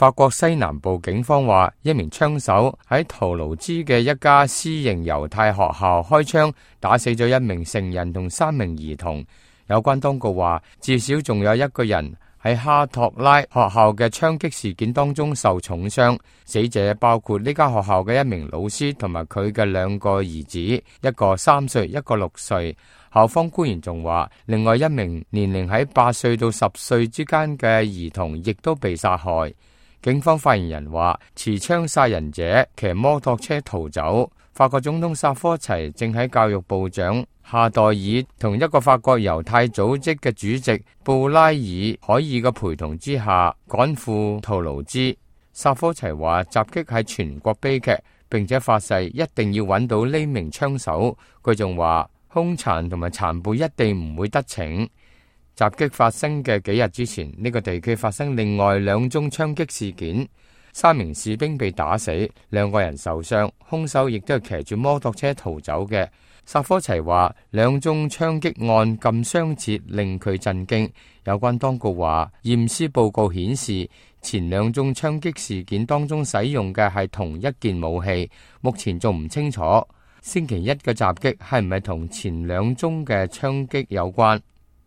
法國西南部警方話，一名槍手喺圖盧茲嘅一家私營猶太學校開槍，打死咗一名成人同3名兒童。有關當局話，至少仲有一個人喺哈托拉學校嘅槍擊事件當中受重傷，死者包括呢間學校嘅一名老師同埋佢嘅2個兒子，一個3歲，一個6歲。校方官員仲話，另外一名年齡喺8歲到10歲之間嘅兒童亦都被殺害。警方發言人話，持槍殺人者騎摩托車逃走。法國總統薩科齊正喺教育部長夏代爾同一個法國猶太組織嘅主席布拉爾海爾嘅陪同之下趕赴圖盧茲。薩科齊話，襲擊係全國悲劇，並且發誓一定要揾到呢名槍手。佢仲話，兇殘同埋殘暴一定唔會得逞。襲擊發生嘅幾日之前，呢個地區發生另外2宗槍擊事件，3名士兵被打死，2個人受傷，兇手亦都係騎住摩托車逃走嘅。薩科齊話，2宗槍擊案咁相似，令佢震驚。有關當局話，驗屍報告顯示前2宗槍擊事件當中使用嘅係同一件武器，目前仲唔清楚星期一嘅襲擊係唔係同前2宗嘅槍擊有關。